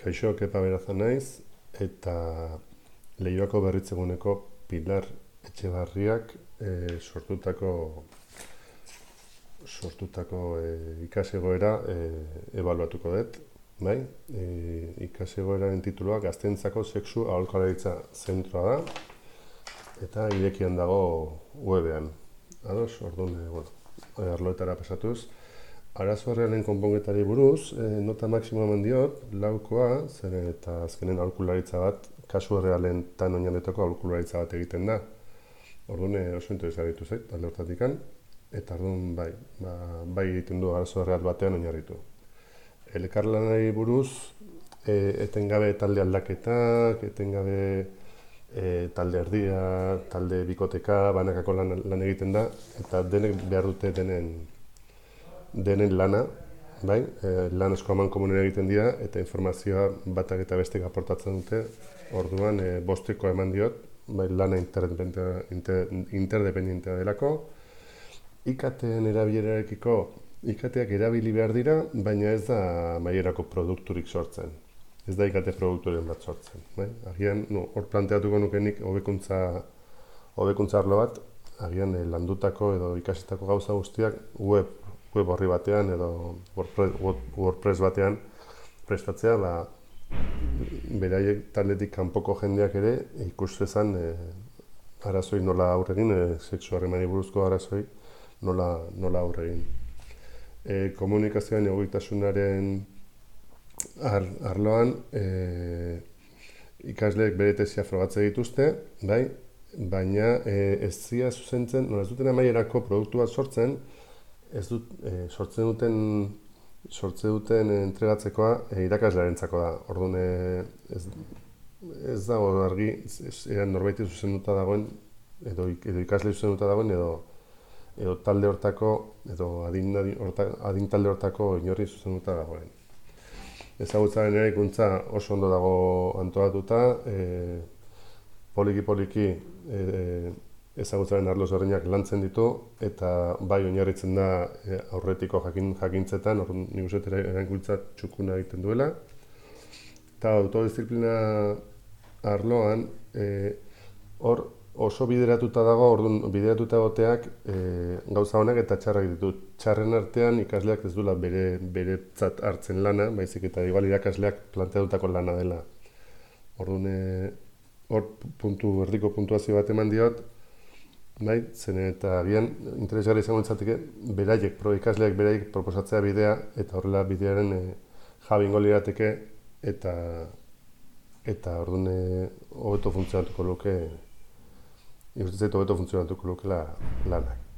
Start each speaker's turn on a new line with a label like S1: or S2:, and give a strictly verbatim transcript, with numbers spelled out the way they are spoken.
S1: Kaixo, Kepa Beraza naiz, eta Leioako berritzeguneko Pilar Etxebarriak e, sortutako sortutako e, ikasegoera e, ebaluatuko dut, bai? E, ikasegoeraren titulua Gazteentzako sexu aholkularitza zentroa da, eta irekian dago webean. Ados, orduan, e, bueno, arloetara pasatuz. Arazo realen konpongetari buruz, e, nota maksimoa eman diot, laukoa, zer eta azkenen aholkularitza bat, kasu realen tan oinarritutako aholkularitza bat egiten da. Orduan oso interesaritu zait, alde hortatikan, eta orduan bai, ba, bai egiten du arazo real batean oinarritu. Elkarlanari buruz, e, etengabe talde aldaketak, etengabe e, talde erdia, talde bikoteka, banakako lan, lan egiten da, eta denek behar dute denen denen lana, bai, e, lan asko aman komunen egiten dira, eta informazioa batak eta bestek aportatzen dute, orduan e, bosteko eman diot, bai, lana interdependentea inter, interdependentea delako. I K T-en erabilerarekiko, I K T-ak erabili behar dira, baina ez da mailerako produkturik sortzen. Ez da I K T produkturen bat sortzen. Bai? Agian, no, hor planteatuko nukenik hobekuntza hobekuntza arlo bat, agian e, landutako edo ikasitako gauza guztiak web web horri batean edo WordPress batean prestatzea, ba, beraiek taldetik kanpoko jendeak ere ikus zezan e, arazoi nola aurregin, e, sexu harremani buruzko arazoi nola, nola aurregin. E, komunikazioan egokitasunaren ar, arloan e, ikasleek bere tesia frogatze dituzte, bai? Baina e, ez zia zuzentzen, nola ez duten amaierako produktu bat sortzen, ez dut, e, sortzen duten sortze duten entregatzekoa e, irakaslearentzako da. Orduan e, ez, ez dago argi eran norbaiti zuzenduta dagoen edo, edo ikasle zuzenduta dagoen edo edo talde hortako edo adin, horta, adin talde hortako inorri zuzenduta dagoen. Ezagutzaren eraikuntza oso ondo dago antolatuta, e, poliki poliki e, ezagutzaren arlo ezberdinak lantzen ditu, eta bai oinarritzen da e, aurretiko jakin, jakintzetan, hor nik uste eraikuntza txukuna egiten duela. Eta autodisziplina arloan, e, hor oso bideratuta dago, orduan bideratuta egoteak e, gauza honak eta txarrak ditut. Txarren artean ikasleak ez duela bere beretzat hartzen lana, baizik eta igual irakasleak planteatutako lana dela. Orduan, e, hor puntu, erdiko puntuazio bat eman diot, bai, zen eta agian interesgarri izango litzateke beraiek, pro ikasleak beraiek proposatzea bidea, eta horrela bidearen e, jabingo lirateke, eta eta orduan e, hobeto funtzionatuko luke, ikusten zaitu hobeto funtzionatuko luke la, lanak.